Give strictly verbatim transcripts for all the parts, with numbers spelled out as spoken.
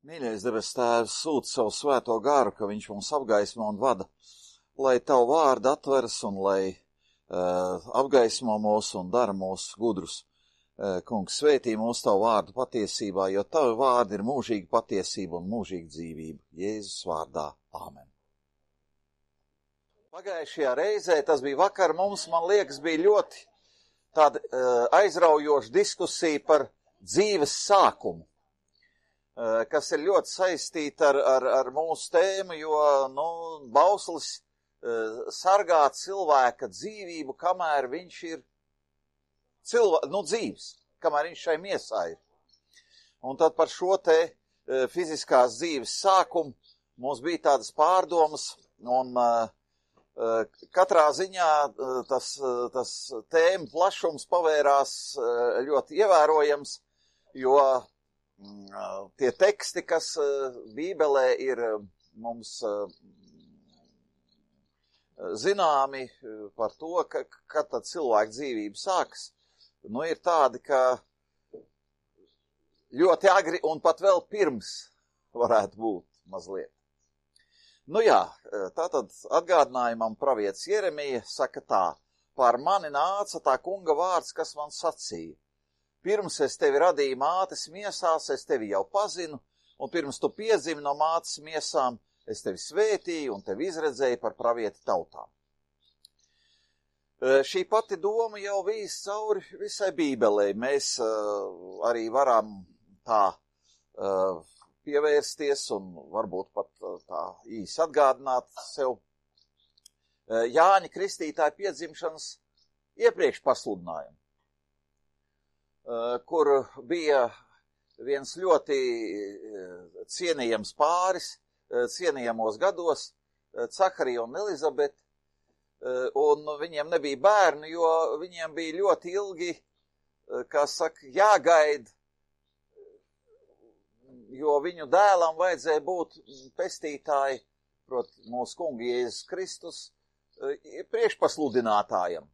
Mīļais debes Tēvs, sūta savu svēto garu, ka viņš mums apgaismo un vada, lai tavu vārdu atveras un lai uh, apgaismo mūs un dara mūs gudrus. Uh, kungs, svētī mūs tavu vārdu patiesībā, jo tavi vārdi ir mūžīga patiesība un mūžīga dzīvība. Jēzus vārdā. Āmen. Pagājušajā reizē, tas bija vakar, mums, man liekas, bija ļoti tāda uh, aizraujoša diskusija par dzīves sākumu, kas ir ļoti saistīta ar, ar, ar mūsu tēmu, jo, nu, bauslis uh, sargā cilvēka dzīvību, kamēr viņš ir cilvē, nu, dzīvs, kamēr viņš šai miesā ir. Un tad par šo te uh, fiziskās dzīves sākumu mums bija tādas pārdomas, un uh, uh, katrā ziņā uh, tas, uh, tas tēma plašums pavērās uh, ļoti ievērojams, jo tie teksti, kas Bībelē ir mums zināmi par to, ka, kad tad cilvēka dzīvība sākas, nu ir tādi, ka ļoti agri un pat vēl pirms varētu būt mazliet. Nu jā, tātad atgādinājumam pravietis Jeremija saka tā: pār mani nāca tā kunga vārds, kas man sacīja. Pirms es tevi radīju mātes miesās, es tevi jau pazinu, un pirms tu piedzimi no mātes miesām, es tevi svētīju un tevi izredzēju par pravieti tautām. Šī pati doma jau vīs cauri visai Bībelei. Mēs uh, arī varam tā uh, pievērsties un varbūt pat uh, tā īsi atgādināt sev uh, Jāņa Kristītāja piedzimšanas iepriekš pasludinājumu, kur bija viens ļoti cienījams pāris, cienījamos gados, Caharija un Elizabete, un viņiem nebija bērni, jo viņiem bija ļoti ilgi, kā saka, jāgaida, jo viņu dēlam vajadzēja būt pestītāji, proti, mūsu kungi Jēzus Kristus, priekšpasludinātājam.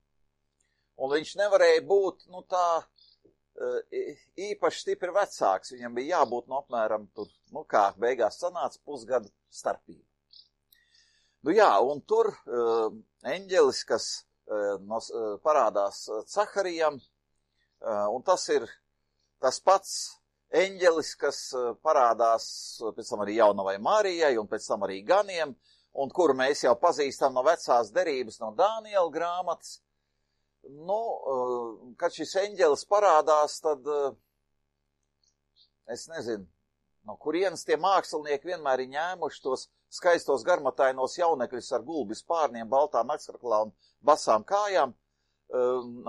Un viņš nevarēja būt, nu tā, īpaši stipri vecāks, viņam bija jābūt no apmēram tur, nu kā beigās sanāca, pusgadu starpība. Nu jā, un tur uh, eņģelis, kas uh, no, uh, parādās Caharijam, uh, un tas ir tas pats eņģelis, kas uh, parādās pēc tam arī jaunavai Marijai un pēc tam arī ganiem, un kuru mēs jau pazīstam no vecās derības, no Dāniela grāmatas. Nu, kad šis eņģelis parādās, tad es nezinu, no kurienes tie mākslinieki vienmēr ir ņēmuši tos skaistos garmatainos jaunekļus ar gulbi spārniem, baltām akskraklā un basām kājām,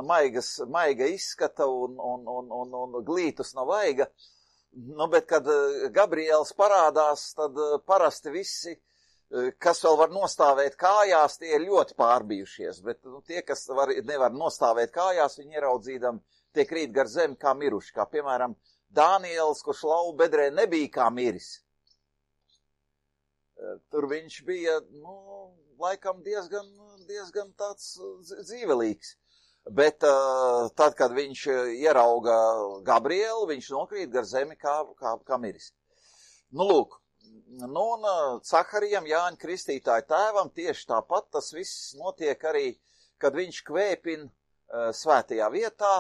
maigas, maiga izskata un, un, un, un, un glītus no vaiga. Nu, bet, kad Gabriels parādās, tad parasti visi, kas vēl var nostāvēt kājās, tie ir ļoti pārbijušies, bet nu, tie, kas var, nevar nostāvēt kājās, viņi ieraudzīdam, tie krīt gar zemi kā miruši, kā piemēram Dānielis, kurš lauva bedrē nebija kā miris. Tur viņš bija, nu, laikam diezgan, diezgan tāds dzīvelīgs, bet uh, tad, kad viņš ierauga Gabrielu, viņš nokrīt gar zemi kā, kā, kā miris. Nu, lūk. Nu, un Caharijam, Jāņa Kristītāja tēvam, tieši tāpat tas viss notiek arī, kad viņš kvēpina uh, svētajā vietā,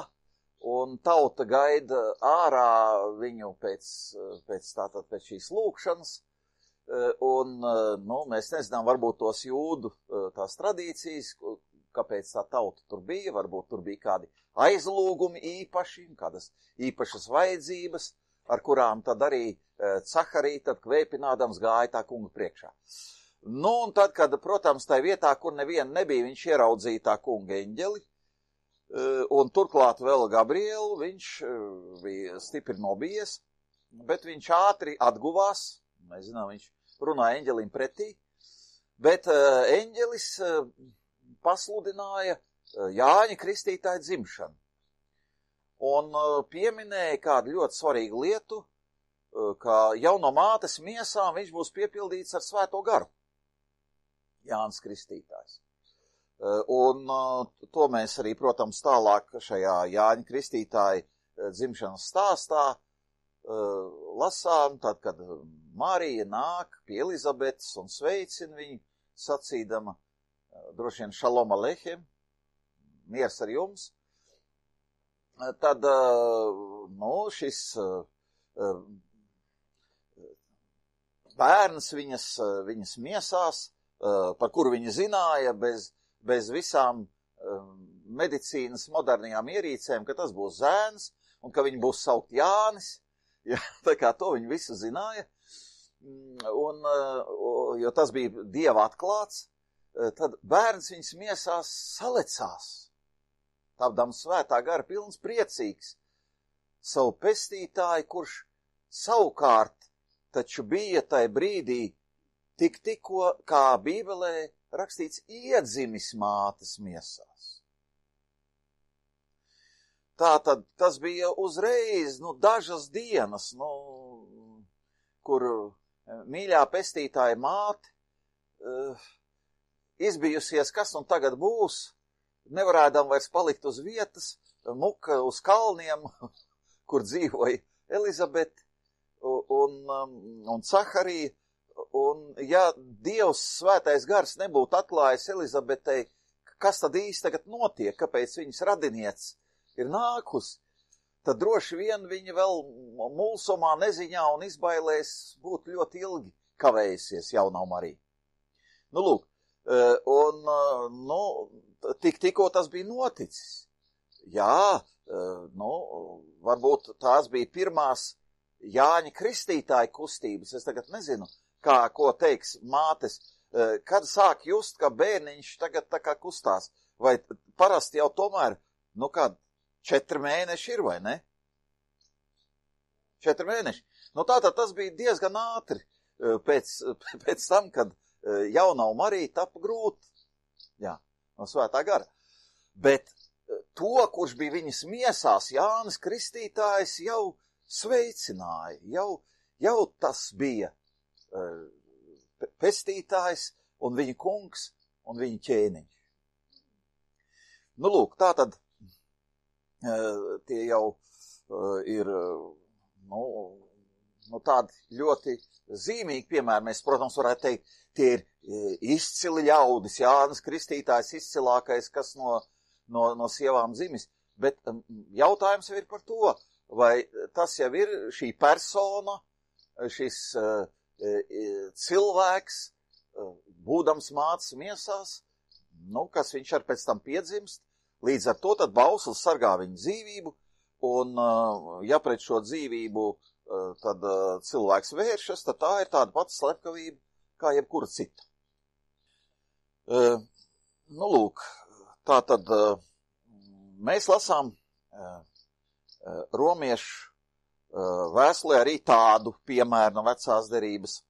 un tauta gaida ārā viņu pēc, pēc, tātad, pēc šīs lūkšanas, uh, un, uh, nu, mēs nezinām, varbūt tos jūdu uh, tās tradīcijas, kāpēc tā tauta tur bija, varbūt tur bija kādi aizlūgumi īpaši, kādas īpašas vajadzības, ar kurām tad arī Caharija, tad kvēpinādams gāja tā kunga priekšā. Nu, un tad, kad, protams, tai vietā, kur neviena nebija, viņš ieraudzīja tā kunga eņģeli, un turklāt vēl Gabrielu, viņš bija stipri nobijies, bet viņš ātri atguvās, mēs zinām, viņš runāja eņģelim pretī, bet eņģelis pasludināja Jāņa Kristītāja dzimšanu. Un pieminēja kādu ļoti svarīgu lietu, ka jau no mātes miesām viņš būs piepildīts ar svēto garu. Jānis Kristītājs. Un to mēs arī, protams, tālāk šajā Jāņa Kristītāja dzimšanas stāstā lasām, tad, kad Marija nāk pie Elizabetes un sveicina viņu, sacīdama, droši vien šalom alechem, miers ar jums, tad, nu, šis bērns viņas, viņas miesās, par kuru viņa zināja bez, bez visām medicīnas modernajām ierīcēm, ka tas būs zēns un ka viņi būs saukt Jānis. Ja, tā kā to viņi visu zināja, un, jo tas bija Dieva atklāts, tad bērns viņas miesās salecās, tāpdams svētā gara pilns priecīgs, savu pestītāju, kurš savukārt taču bija tai brīdī tik tikko, kā Bībelē rakstīts, iedzimis mātes miesās. Tātad tas bija uzreiz, nu, dažas dienas, nu, kur mīļā pestītāja māte uh, izbijusies, kas un tagad būs, nevarēdam vairs palikt uz vietas, muka uz kalniem, kur dzīvoja Elizabete un, um, un Caharija, un ja Dievs svētais gars nebūtu atklājis Elizabetei, kas tad īsti tagad notiek, kāpēc viņas radinieces ir nākus, tad droši vien viņa vēl mulsumā, neziņā un izbailēs būtu ļoti ilgi kavējusies jaunā Marija. Nu, lūk, un, nu, tik tikko tas bija noticis. Jā, nu, varbūt tās bija pirmās Jāņa Kristītāja kustības, es tagad nezinu, kā, ko teiks mātes, kad sāk just, ka bērniņš tagad tā kā kustās, vai parasti jau tomēr, nu, kād, Četri mēneši ir, vai ne? Četri mēneši. Nu tātad tas bija diezgan ātri pēc, pēc tam, kad jaunā Marija tapa grūti. Jā, no svētā gara. Bet to, kurš bija viņas miesās, Jānis Kristītājs, jau sveicināja. Jau, jau tas bija pestītājs un viņa kungs un viņa ķēniņš. Nu lūk, tātad tie jau ir, nu, nu tādi ļoti zīmīgi piemēri. Mēs, protams, varētu teikt, tie ir izcili ļaudis, Jānis Kristītājs izcilākais, kas no, no, no sievām dzimis. Bet jautājums jau ir par to, vai tas jau ir šī persona, šis uh, cilvēks, uh, būdams mātes miesās, nu, kas viņš ar pēc tam piedzimst. Līdz ar to tad bauslis sargā viņu dzīvību, un ja pret šo dzīvību tad cilvēks vēršas, tad tā ir tāda pati slepkavība, kā jebkura cita. Nu, lūk, tā tad mēs lasām romiešu vēstulē arī tādu piemēru no vecās derības.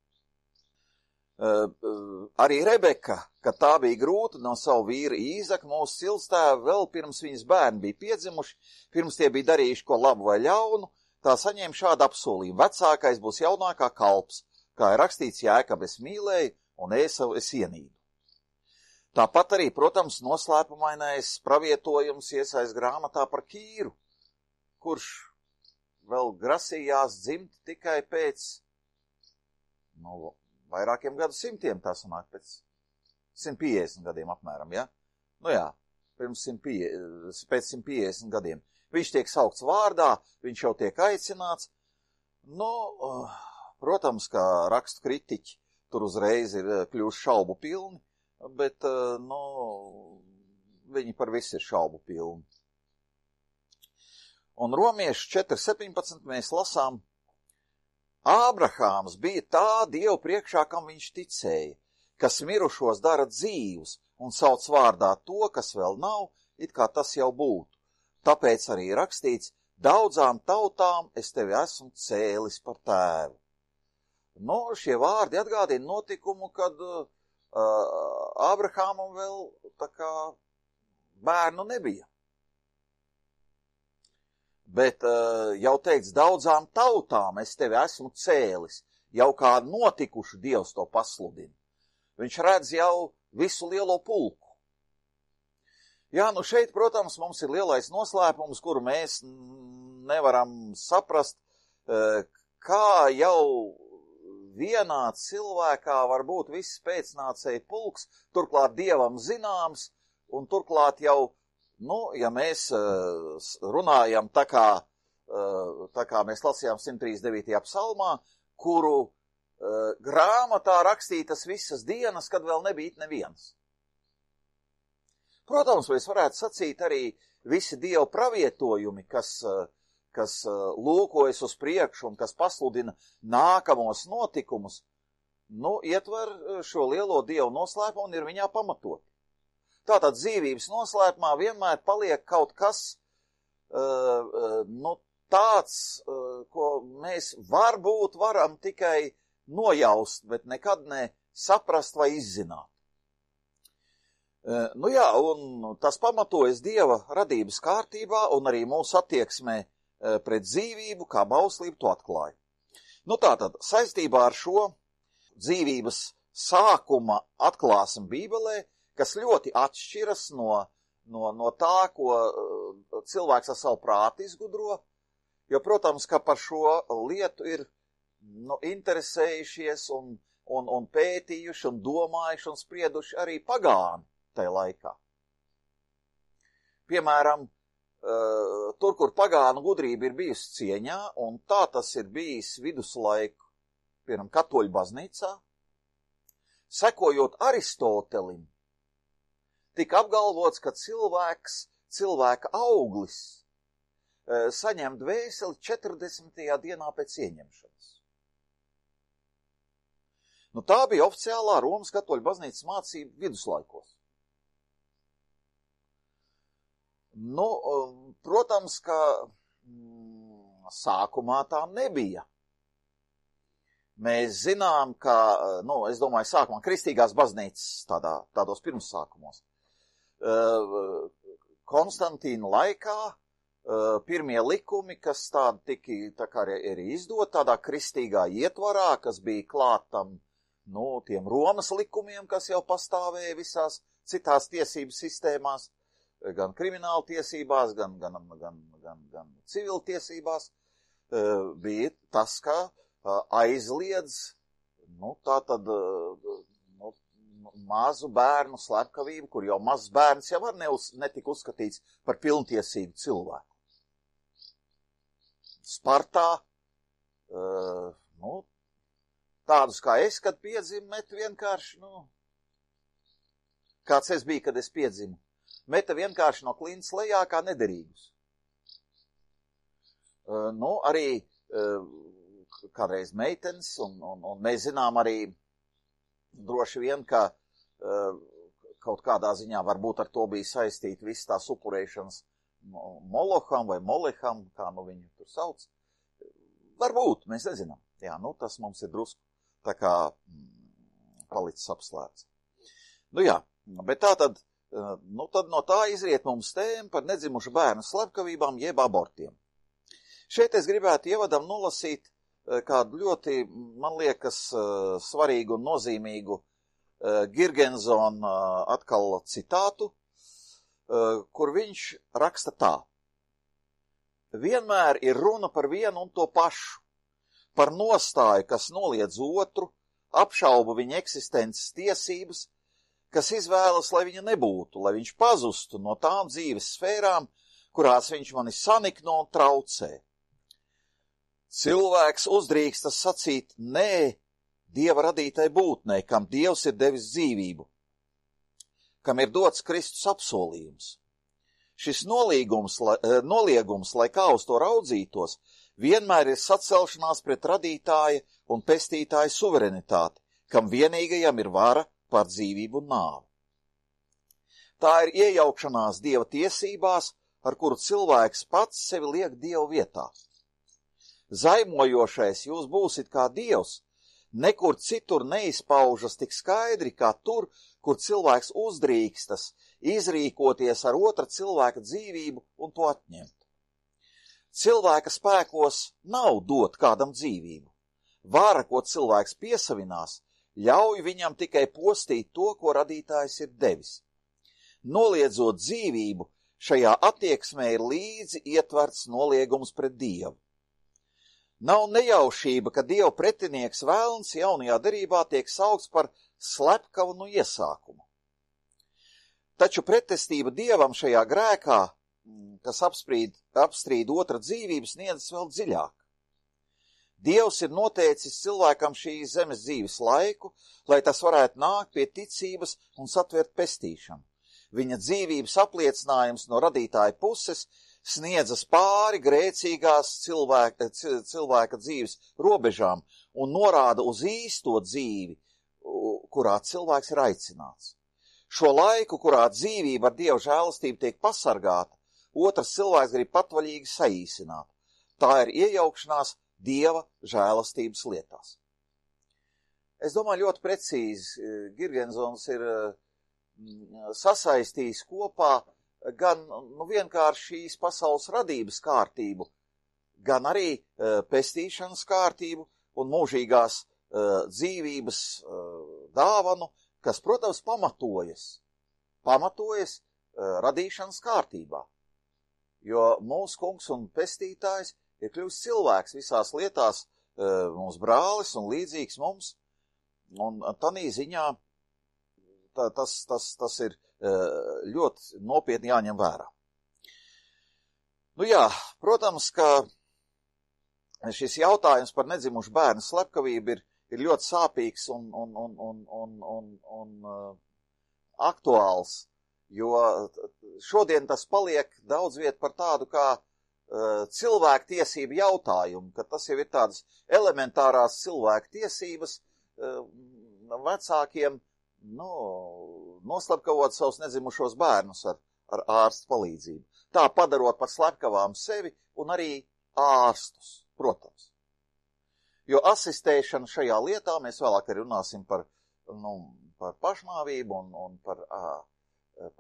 Uh, uh, arī Rebeka, kad tā bija grūta no savu vīru Īzaku, mūsu cilstēva vēl pirms viņas bērni bija piedzimuši, pirms tie bija darījuši ko labu vai ļaunu, tā saņēma šādu apsolījumu. Vecākais būs jaunākā kalps, kā ir rakstīts Jēkabu es mīlēju un Ēsavu es ienīdu. Tāpat arī, protams, noslēpumainais pravietojums iesaist grāmatā par Kīru, kurš vēl grasījās dzimt tikai pēc, nu, vairākiem gadu simtiem, tā sanāk pēc simt piecdesmit gadiem apmēram, ja? Nu jā, pirms simt piecdesmit, pēc simt piecdesmit gadiem. Viņš tiek saukts vārdā, viņš jau tiek aicināts. Nu, protams, kā rakstu kritiķi tur uzreiz ir kļuvuši šaubu pilni, bet, nu, viņi par visu ir šaubu pilni. Un Romiešu četri septiņpadsmit mēs lasām, Ābrahāms bija tā Dievu priekšā, kam viņš ticēja, kas mirušos dara dzīvus un sauc vārdā to, kas vēl nav, it kā tas jau būtu. Tāpēc arī rakstīts, daudzām tautām es tevi esmu cēlis par tēvu. Nu, šie vārdi atgādina notikumu, kad uh, Ābrahāmam vēl tā kā bērnu nebija. Bet uh, jau teikts, daudzām tautām es tevi esmu cēlis, jau kā notikuši Dievs to pasludina. Viņš redz jau visu lielo pulku. Jā, nu šeit, protams, mums ir lielais noslēpums, kuru mēs nevaram saprast, kā jau vienā cilvēkā var būt viss pēcnācēju pulks, turklāt Dievam zināms, un turklāt jau, nu, ja mēs runājam tā kā, tā kā mēs lasījām simt trīsdesmit devītajā psalmā, kuru grāmatā rakstītas visas dienas, kad vēl nebija neviens. Protams, mēs varētu sacīt arī visi Dieva pravietojumi, kas, kas lūkojas uz priekšu un kas pasludina nākamos notikumus, nu, ietver šo lielo Dievu noslēpumu un ir viņā pamatot. Tātad dzīvības noslēpumā vienmēr paliek kaut kas, uh, nu, tāds, uh, ko mēs varbūt varam tikai nojaust, bet nekad ne saprast vai izzināt. Uh, nu jā, un tas pamatojas Dieva radības kārtībā un arī mūsu attieksmē uh, pret dzīvību, kā bauslību to atklāja. Nu tātad, saistībā ar šo dzīvības sākuma atklāsmi Bībelē, kas ļoti atšķiras no, no, no tā, ko uh, cilvēks ar savu prātu izgudro, jo, protams, ka par šo lietu ir nu, interesējušies un, un, un pētījuši un domājuši un sprieduši arī pagāni tajā laikā. Piemēram, uh, tur, kur pagānu gudrība ir bijusi cieņā, un tā tas ir bijis viduslaiku, piemēram, katoļu baznīcā, sekojot Aristotelim, tika apgalvots, ka cilvēks, cilvēka auglis e, saņem dvēseli četrdesmitajā dienā pēc ieņemšanas. Nu, tā bija oficiālā Romas katoļu baznīcas mācība viduslaikos. Nu, protams, ka mm, sākumā tā nebija. Mēs zinām, ka, nu, es domāju, sākumā kristīgās baznīcas tādā, tādos pirmsākumos. Konstantīna laikā pirmie likumi, kas tādi tika tā kā arī izdot tādā kristīgā ietvarā, kas bija klātam, nu, tiem Romas likumiem, kas jau pastāvēja visās citās tiesību sistēmās, gan krimināla tiesībās, gan, gan, gan, gan, gan civil tiesībās, bija tas, ka aizliedz, nu, tā tad, mazu bērnu slepkavību, kur jau mazs bērns jau var neuz, netika uzskatīts par pilntiesīgu cilvēku. Spartā, uh, nu, tādus kā es, kad piedzimu, met vienkārši, nu, kāds es biju, kad es piedzimu, meta vienkārši no klints lejā kā nederīgus. Uh, nu, arī uh, kādreiz meitenes, un, un, un mēs zinām arī droši vien, ka uh, kaut kādā ziņā varbūt ar to bija saistīta viss tās upurēšanas Moloham vai Moleham, kā nu viņu tur sauc. Varbūt, mēs nezinām. Jā, nu tas mums ir drusku tā kā mm, palicis apslēpts. Nu jā, bet tā tad, uh, nu tad no tā izriet mums tēma par nedzimušu bērnu slepkavībām jeb abortiem. Šeit es gribētu ievadam nolasīt kādu ļoti, man liekas, svarīgu un nozīmīgu Girgensona atkal citātu, kur viņš raksta tā. Vienmēr ir runa par vienu un to pašu, par nostāju, kas noliedz otru, apšauba viņa eksistences tiesības, kas izvēlas, lai viņa nebūtu, lai viņš pazustu no tām dzīves sfērām, kurās viņš mani sanikno un traucē. Cilvēks uzdrīkstas sacīt nē Dieva radītai būtnei, kam Dievs ir devis dzīvību, kam ir dots Kristus apsolījums. Šis nolīgums, lai, noliegums, lai kā uz to raudzītos, vienmēr ir sacelšanās pret radītāja un pestītāja suverenitāti, kam vienīgajam ir vara pār dzīvību un nāvi. Tā ir iejaukšanās Dieva tiesībās, ar kuru cilvēks pats sevi liek Dieva vietā. Zaimojošais jūs būsit kā Dievs, nekur citur neizpaužas tik skaidri, kā tur, kur cilvēks uzdrīkstas izrīkoties ar otra cilvēka dzīvību un to atņemt. Cilvēka spēkos nav dot kādam dzīvību. Vara, ko cilvēks piesavinās, ļauj viņam tikai postīt to, ko radītājs ir devis. Noliedzot dzīvību, šajā attieksmē ir līdzi ietverts noliegums pret Dievu. Nav nejaušība, ka Dieva pretinieks vēlns jaunajā derībā tiek saukts par slepkavu no iesākuma. Taču pretestība Dievam šajā grēkā, kas apsprīd, apstrīd otra dzīvību, sniedzas vēl dziļāk. Dievs ir noteicis cilvēkam šīs zemes dzīves laiku, lai tas varētu nākt pie ticības un satvert pestīšanu. Viņa dzīvības apliecinājums no radītāja puses sniedzas pāri grēcīgās cilvēka, cilvēka dzīves robežām un norāda uz īsto dzīvi, kurā cilvēks ir aicināts. Šo laiku, kurā dzīvība ar Dieva žēlastību tiek pasargāta, otrs cilvēks grib patvaļīgi saīsināt. Tā ir iejaukšanās Dieva žēlastības lietās. Es domāju, ļoti precīzi Girgensons ir sasaistījis kopā gan nu, vienkārši šīs pasaules radības kārtību, gan arī uh, pestīšanas kārtību un mūžīgās uh, dzīvības uh, dāvanu, kas, protams, pamatojas, pamatojas uh, radīšanas kārtībā. Jo mūsu kungs un pestītājs ir kļuvis cilvēks visās lietās, uh, mums brālis un līdzīgs mums, un tanī ziņā tā, tas, tas, tas ir ļoti nopietni jāņem vērā. Nu jā, protams, ka šis jautājums par nedzimušu bērnu slepkavību ir, ir ļoti sāpīgs un, un, un, un, un, un, un uh, aktuāls, jo šodien tas paliek daudz viet par tādu kā uh, cilvēku tiesību jautājumu, ka tas jau ir tādas elementārās cilvēku tiesības uh, vecākiem, nu, noslepkavot savus nedzimušos bērnus ar, ar ārstu palīdzību. Tā padarot par slepkavām sevi un arī ārstus, protams. Jo asistēšana šajā lietā, mēs vēlāk arī runāsim par, nu, par pašnāvību un, un par, ā,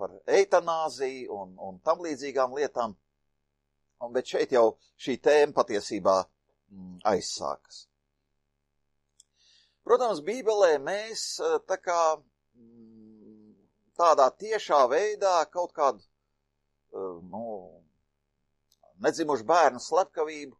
par eitanāziju un, un tam līdzīgām lietām, bet šeit jau šī tēma patiesībā mm, aizsākas. Protams, Bībelē mēs tā kā tādā tiešā veidā kaut kādu nu, nedzimušu bērnu slepkavību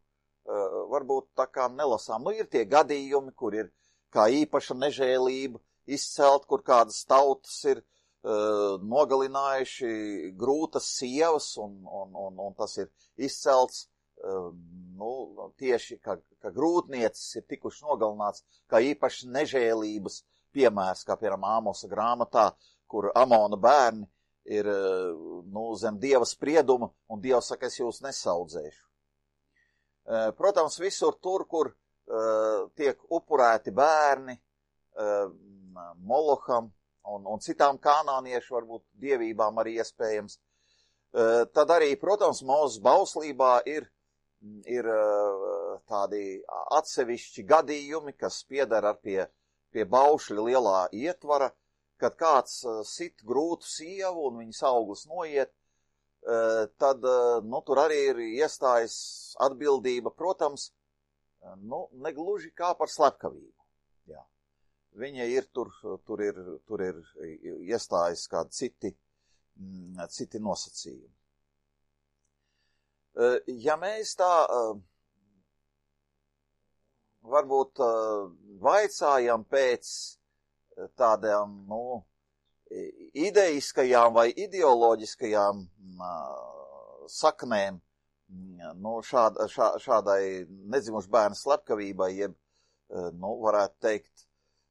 varbūt tā kā nelasām. Nu, ir tie gadījumi, kur ir kā īpaša nežēlība izcelt, kur kādas tautas ir uh, nogalinājuši grūtas sievas, un, un, un, un tas ir izcelts uh, nu, tieši, ka, ka grūtniecis ir tikuši nogalināts kā īpaši nežēlības piemērs, kā piemēram Āmosa grāmatā, kur Amona bērni ir nu, zem Dieva sprieduma, un Dievs saka, es jūs nesaudzēšu. Protams, visur tur, kur uh, tiek upurēti bērni uh, Moloham un, un citām kanāniešu, varbūt dievībām arī iespējams, uh, tad arī, protams, Mūzes bauslībā ir, ir uh, tādi atsevišķi gadījumi, kas piedara pie, pie baušļa lielā ietvara, kad kāds uh, sit grūtu sievu un viņas auglis noiet, uh, tad uh, nu, tur arī ir iestājas atbildība, protams, uh, nu, negluži kā par slepkavību. Jā. Viņa ir tur, tur ir, tur ir iestājas kādi citi, mm, citi nosacījumi. Uh, ja mēs tā uh, varbūt uh, vaicājam pēc tādām, nu, ideiskajām vai ideoloģiskajām uh, saknēm, nu, šād, šā, šādai nedzimušu bērnu slepkavībai, jeb, uh, nu, varētu teikt,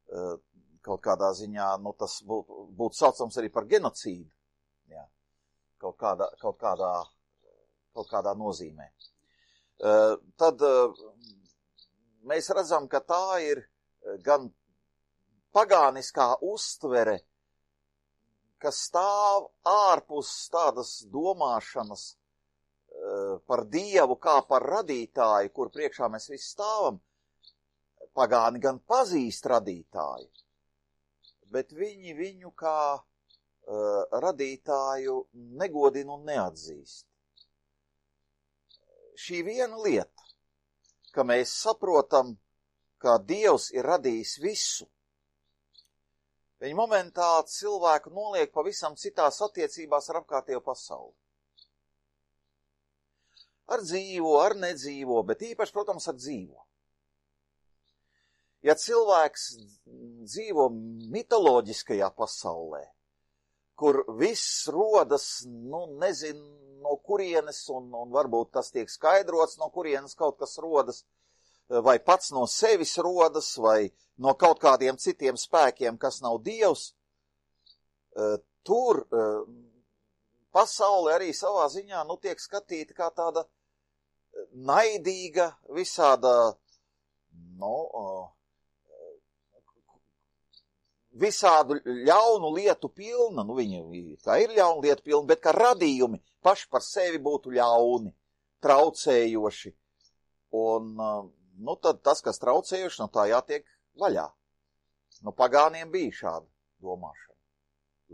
uh, kaut kādā ziņā, nu, tas būtu būt saucams arī par genocīdu, jā, kaut kādā, kaut kādā, kaut kādā nozīmē. Uh, tad uh, mēs redzam, ka tā ir gan pagāniskā uztvere, kas stāv ārpus tādas domāšanas uh, par Dievu kā par radītāju, kur priekšā mēs visi stāvam. Pagāni gan pazīst radītāju, bet viņi viņu kā uh, radītāju negodina un neatzīst. Šī viena lieta, ka mēs saprotam, ka Dievs ir radījis visu, viņa momentā cilvēku noliek pavisam citās attiecībās ar apkārtējo pasauli. ar dzīvo, ar nedzīvo, bet īpaši, protams, ar dzīvo. Ja cilvēks dzīvo mitoloģiskajā pasaulē, kur viss rodas, nu, nezinu, no kurienes, un, un varbūt tas tiek skaidrots, no kurienes kaut kas rodas, vai pats no sevis rodas, vai no kaut kādiem citiem spēkiem, kas nav Dievs, tur pasaule arī savā ziņā, nu, tiek skatīta kā tāda naidīga, visāda, nu, visādu ļaunu lietu pilna, nu, viņi tā ir ļaunu lietu pilna, bet ka radījumi paši par sevi būtu ļauni, traucējoši, un, nu, tad tas, kas traucējuši, no tā jātiek vaļā. Nu, pagāniem bija šāda domāšana,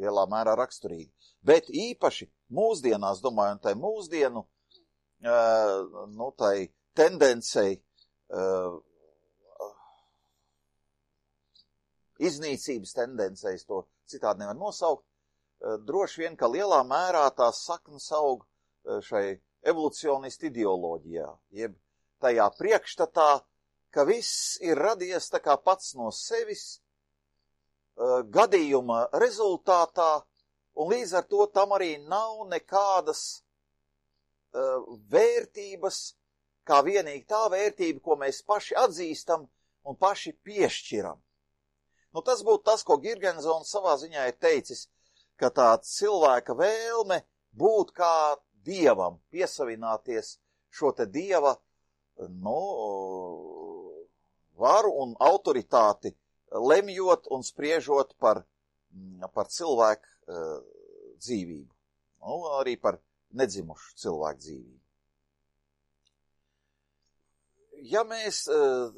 lielā mērā raksturīga. Bet īpaši mūsdienās, domāju, un tai mūsdienu, uh, nu, tai tendencei, uh, iznīcības tendencei, to citādi nevar nosaukt, uh, droši vien, ka lielā mērā tās saknes aug uh, šai evolucionistu ideoloģijā, jeb tajā priekšstatā, ka viss ir radies tā kā pats no sevis, uh, gadījuma rezultātā, un līdz ar to tam arī nav nekādas uh, vērtības, kā vienīgi tā vērtība, ko mēs paši atzīstam un paši piešķiram. Nu, tas būtu tas, ko Girgensons savā ziņā ir teicis, ka tā cilvēka vēlme būt kā dievam, piesavināties šo te dieva, nu, varu un autoritāti, lemjot un spriežot par, par cilvēku uh, dzīvību. Nu, arī par nedzimušu cilvēku dzīvību. Ja mēs uh,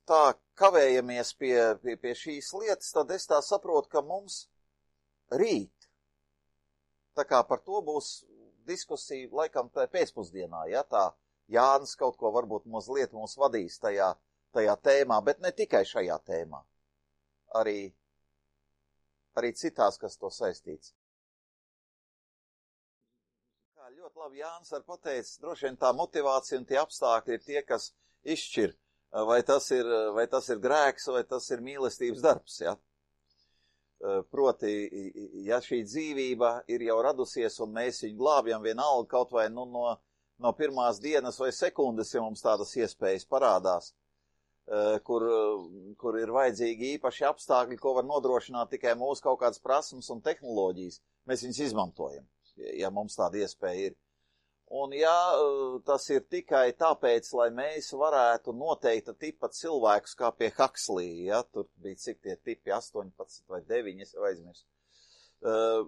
tā kavējamies pie, pie, pie šīs lietas, tad es tā saprotu, ka mums rīt, tā kā par to būs diskusija laikam tā pēcpusdienā, ja tā Jānis kaut ko varbūt mazliet mūs vadīs tajā, tajā tēmā, bet ne tikai šajā tēmā, arī, arī citās, kas to saistīts. Kā ļoti labi Jānis var pateikt, droši vien tā motivācija un tie apstākļi ir tie, kas izšķir, vai tas ir, vai tas ir grēks, vai tas ir mīlestības darbs, ja? Proti, ja šī dzīvība ir jau radusies un mēs viņu glābjam vienalga kaut vai nu, no, no pirmās dienas vai sekundes, ja mums tādas iespējas parādās, kur, kur ir vajadzīgi īpaši apstākļi, ko var nodrošināt tikai mūsu kaut kādas prasmes un tehnoloģijas, mēs viņus izmantojam, ja mums tāda iespēja ir. Un ja tas ir tikai tāpēc, lai mēs varētu noteikta tipa cilvēkus, kā pie Huxley, ja, tur bija cik tie tipi, astoņpadsmit vai deviņi, es aizmirstu, uh,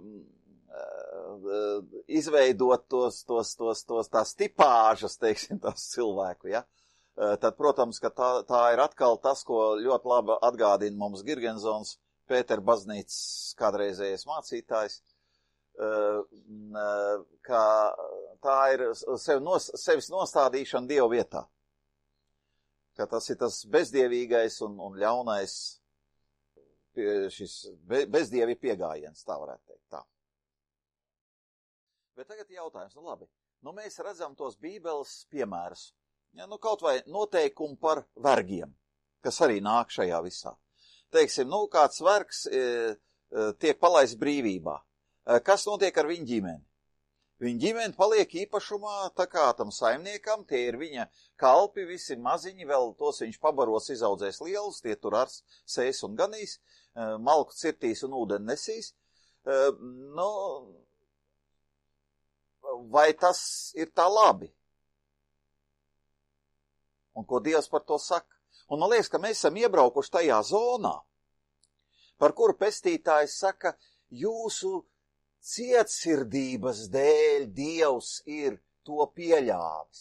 uh, izveidot tos, tos, tos, tos tās tipāžas, teiksim, tās cilvēku, ja, uh, tad, protams, ka tā, tā ir atkal tas, ko ļoti labi atgādina mums Girgensons, Pēter baznīcas kādreizējais mācītājs, ka tā ir sev nos, sevis nostādīšana Dieva vietā. Ka tas ir tas bezdievīgais un, un ļaunais, šis be, bezdievi piegājiens, tā varētu teikt. Tā. Bet tagad jautājums, nu labi, nu mēs redzam tos Bībeles piemērus. Ja, nu kaut vai noteikumi par vergiem, kas arī nāk šajā visā. Teiksim, nu kāds vergs e, e, tiek palaists brīvībā. Kas notiek ar viņu ģimeni? Viņa ģimene paliek īpašumā tā kā tam saimniekam, tie ir viņa kalpi, visi maziņi, vēl tos viņš pabaros, izaudzēs lielus, tie tur ar sēs un ganīs, malku cirtīs un ūdeni nesīs. Nu, vai tas ir tā labi? Un ko Dievs par to saka? Un man liekas, ka mēs esam iebraukuši tajā zonā, par kuru pestītājs saka, jūsu cietsirdības dēļ Dievs ir to pieļāvis.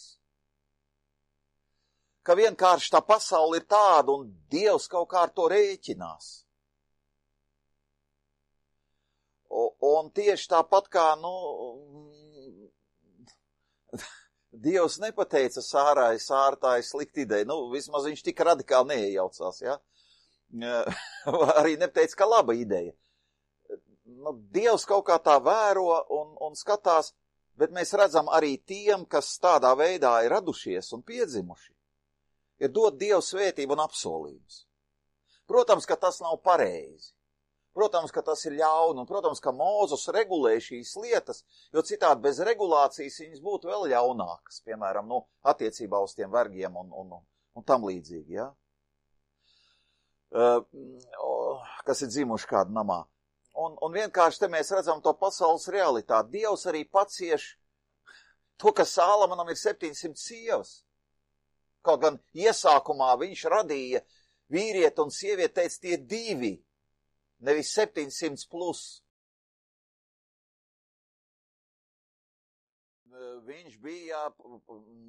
Ka vienkārši tā pasaule ir tāda un Dievs kaut kā ar to rēķinās. O, un tieši tāpat kā, nu, Dievs nepateica Sārai, Sāra tā ir slikta ideja, nu, vismaz viņš tik radikāli neiejaucās, ja? Arī nepateica, ka laba ideja. Nu, Dievs kaut kā tā vēro un, un skatās, Bet mēs redzam arī tiem, kas tādā veidā ir radušies un piedzimuši, ir dot Dievu svētību un apsolījumus. Protams, ka tas nav pareizi. Protams, ka tas ir ļauni, un protams, ka Mūzes regulē šīs lietas, jo citādi bez regulācijas viņas būtu vēl ļaunākas, piemēram, nu, attiecībā uz tiem vergiem un, un, un tam līdzīgi, ja? Uh, kas ir dzimuši kādu namā. Un, un vienkārši te mēs redzam to pasaules realitāti. Dievs arī pacieš to, ka Sālamonam ir septiņsimt sievas. Kaut gan iesākumā viņš radīja vīrieti un sievieti, teica tie divi, nevis septiņsimt plus. Viņš bija,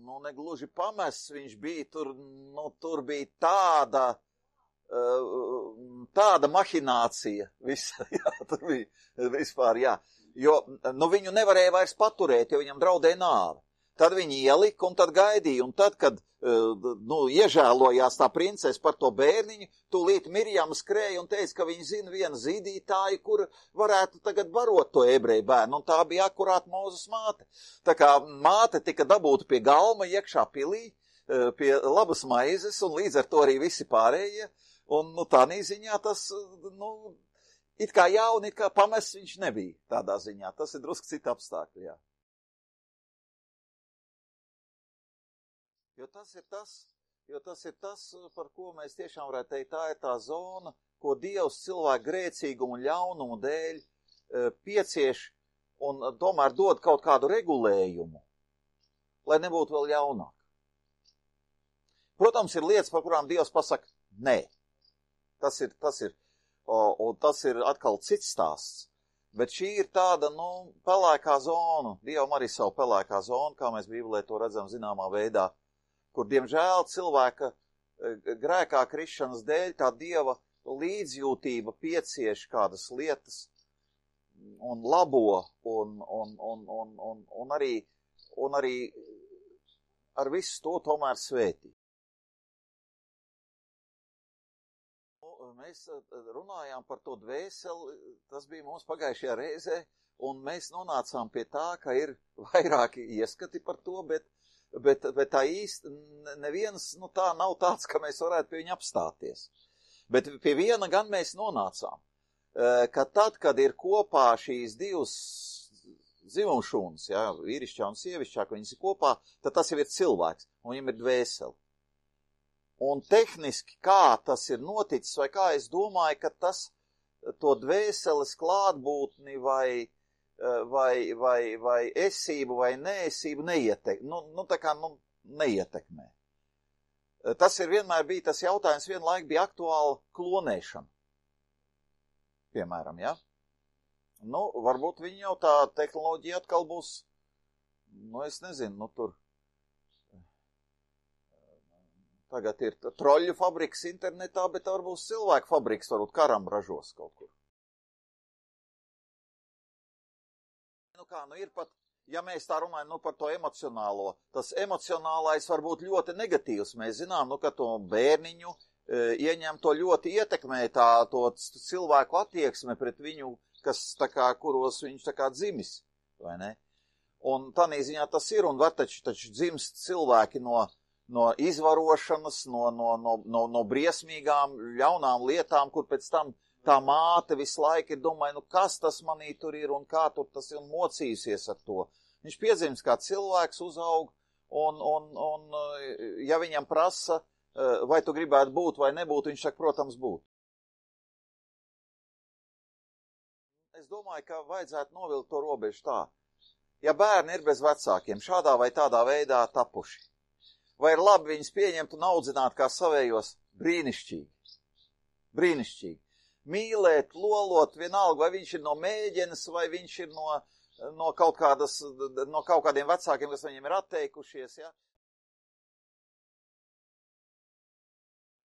nu, negluži pamests, viņš bija tur, nu, tur bija tāda, tāda mahinācija, visa, jā, tur bija vispār, jā, jo, nu, viņu nevarēja vairs paturēt, jo viņam draudēja nāve. Tad viņi ielika un tad gaidīja, un tad, kad, nu, iežēlojās tā princese par to bērniņu, tūlīt Mirjama skrēja un teica, ka viņi zina vienu zīdītāju, kur varētu tagad barot to ebreju bērnu, un tā bija akurāt Mūzes māte. Tā kā māte tika dabūta pie galma iekšā pilī, pie labas maizes, un līdz ar to arī visi pārējie. Un, nu, tā ziņā tas, nu, it kā jauni, it kā pamests viņš nebija tādā ziņā. Tas ir drusku cita apstākļi, jā. Jo tas ir tas, jo tas ir tas, par ko mēs tiešām varētu teikt, tā ir tā zona, ko Dievs cilvēku grēcīgumu un ļaunumu dēļ piecieš un tomēr dod kaut kādu regulējumu, lai nebūtu vēl ļaunāk. Protams, ir lietas, par kurām Dievs pasaka, nē. Tas ir, tas ir, un tas ir atkal cits stāsts. Bet šī ir tāda, nu, pelēkā zona, Dievam arī savu pelēkā zona, kā mēs Bībelē to redzam zināmā veidā, kur, diemžēl, cilvēka grēkā krišanas dēļ tā Dieva līdzjūtība piecieš kādas lietas un labo un, un, un, un, un, un, arī, un arī ar visu to tomēr svētī. Mēs runājām par to dvēseli, tas bija mums pagājušajā reizē, un mēs nonācām pie tā, ka ir vairāki ieskati par to, bet, bet, bet tā īsti neviens, nu tā nav tāds, ka mēs varētu pie viņa apstāties. Bet pie viena gan mēs nonācām, ka tad, kad ir kopā šīs divas dzimumšūnas, ja, vīrišķā un sievišķā, ka viņas ir kopā, tad tas jau ir cilvēks, un viņam ir dvēseli. Un tehniski, kā tas ir noticis, vai kā es domāju, ka tas to dvēseles klātbūtni vai, vai, vai, vai esību vai neesību neietek, nu, nu, tā kā, nu, neietekmē. Tas ir vienmēr bija tas jautājums, vienlaik bija aktuāla klonēšana. Piemēram, ja? Nu, varbūt viņi jau tā tehnoloģija atkal būs, nu, es nezinu, nu, tur. Tagad ir troļļu fabriks internetā, bet varbūt cilvēku fabriks, varbūt karam ražos kaut kur. Nu kā, nu ir pat, ja mēs tā runājam, nu par to emocionālo, tas emocionālais var būt ļoti negatīvs. Mēs zinām, nu, ka to bērniņu e, ieņem to ļoti ietekmē tā, to cilvēku attieksme pret viņu, kas tā kā, kuros viņš tā kā dzimis, vai ne? Un tādā ziņā tas ir, un var taču, taču dzimst cilvēki no no izvarošanas, no, no, no, no, no briesmīgām, ļaunām lietām, kur pēc tam tā māte visu laiku ir domāja, nu kas tas manī tur ir un kā tur tas ir un mocījusies ar to. Viņš piedzims kā cilvēks, uzaug, un, un, un ja viņam prasa, vai tu gribētu būt vai nebūt, viņš saka, protams, būt. Es domāju, ka vajadzētu novilkt to robežu tā. Ja bērni ir bez vecākiem, šādā vai tādā veidā tapuši, vai ir labi viņus pieņemt un audzināt kā savējos? Brīnišķīgi. Brīnišķīgi. Mīlēt, lolot, vienalga, vai viņš ir no mēģenes, vai viņš ir no, no, kaut kādas, no kaut kādiem vecākiem, kas viņiem ir atteikušies, ja?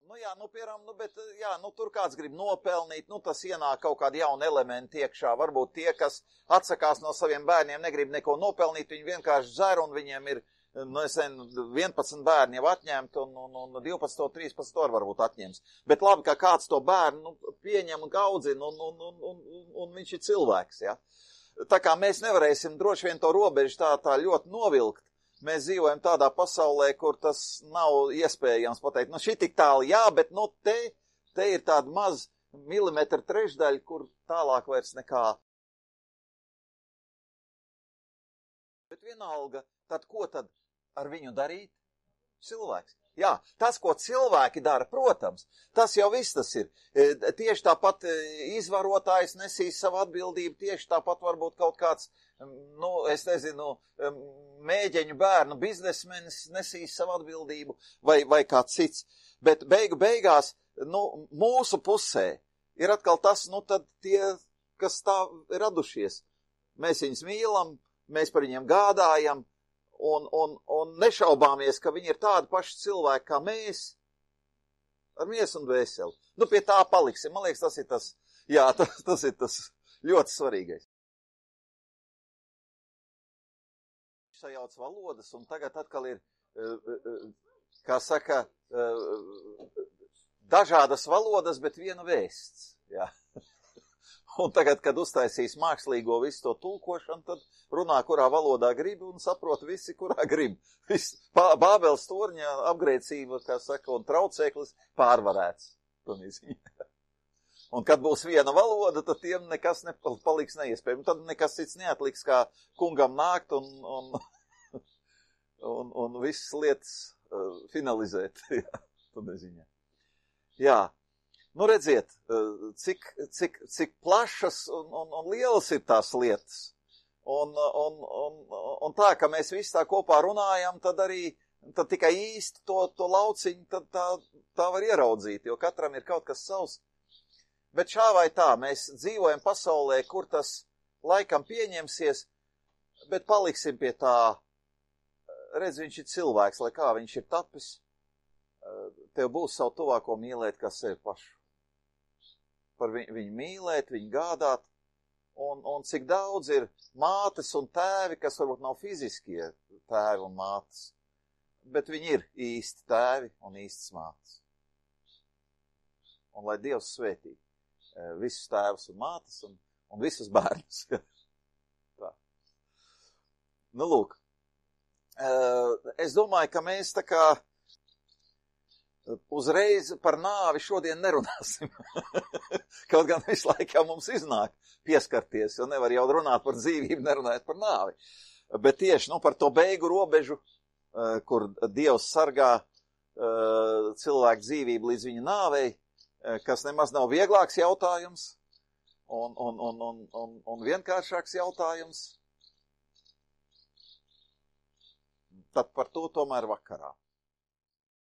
Nu jā, nu, piemēram, nu, bet, jā, nu, tur kāds grib nopelnīt, nu, tas ienāk kaut kādi jauni elementi iekšā. Varbūt tie, kas atsakās no saviem bērniem, negrib neko nopelnīt, viņi vienkārši dzer un viņiem ir, nu, es nezinu, vienpadsmit bērni jau atņemt, un, un, un divpadsmit, trīspadsmit var varbūt atņems. Bet labi, ka kāds to bērnu nu, pieņem un audzina, un, un, un, un, un viņš ir cilvēks, ja. tā kā mēs nevarēsim droši vien to robežu tā, tā ļoti novilkt, mēs dzīvojam tādā pasaulē, kur tas nav iespējams pateikt. Nu, šī tik tālu, jā, bet nu te, te ir tāda maz milimetra trešdaļa, kur tālāk vairs nekā. Bet vienalga, tad ko tad ar viņu darīt? Cilvēks. Jā, tas, ko cilvēki dara, protams, tas jau viss tas ir. Tieši tāpat izvarotājs nesīs savu atbildību, tieši tāpat varbūt kaut kāds, nu, es nezinu, mēģeņu bērnu biznesmenis nesīs savu atbildību vai, vai kāds cits. Bet beigu beigās, nu, mūsu pusē ir atkal tas, nu, tad tie, kas tā ir radušies. Mēs viņus mīlam, mēs par viņiem gādājam, Un, un, un nešaubāmies, ka viņi ir tādi paši cilvēki kā mēs, ar miesu un dvēseli. Nu, pie tā paliksim. Man liekas, tas ir tas, jā, tas, tas ir tas ļoti svarīgais. Sajauc valodas, un tagad atkal ir, kā saka, dažādas valodas, bet viena vēsts, jā. Un tagad, kad uztaisīs mākslīgo visu to tulkošanu, tad runā, kurā valodā grib un saprot visi, kurā grib. Viss Bābeles torņa apgrēcība, kā saka, un traucēklis pārvarēts. Un kad būs viena valoda, tad tiem nekas nepaliks neiespējami. Tad nekas cits neatliks, kā kungam nākt un, un, un, un visas lietas uh, finalizēt. Jā, tad neziņā. Jā. Nu, redziet, cik, cik, cik plašas un, un, un lielas ir tās lietas. Un, un, un, un tā, ka mēs visi tā kopā runājam, tad arī tad tikai īsti to, to lauciņu tad tā, tā var ieraudzīt, jo katram ir kaut kas savs. Bet šā vai tā, mēs dzīvojam pasaulē, kur tas laikam pieņemsies, bet paliksim pie tā, redz, viņš ir cilvēks, lai kā viņš ir tapis, tev būs savu tuvāko mīlēt, kā sevi pašu. Par viņu, viņu mīlēt, viņu gādāt, un, un cik daudz ir mātes un tēvi, kas varbūt nav fiziskie tēvi un mātes, bet viņi ir īsti tēvi un īstas mātes. Un lai Dievs svētī visus tēvus un mātes un, un visus bērnus. Tā. Nu, lūk, es domāju, ka mēs tā kā uzreiz par nāvi šodien nerunāsim. Kaut gan visu laiku jau mums iznāk pieskarties, jo nevar jau runāt par dzīvību, nerunājot par nāvi. Bet tieši nu, par to beigu robežu, kur Dievs sargā cilvēku dzīvību līdz viņa nāvei, kas nemaz nav vieglāks jautājums un, un, un, un, un, un vienkāršāks jautājums. Tad par to tomēr vakarā.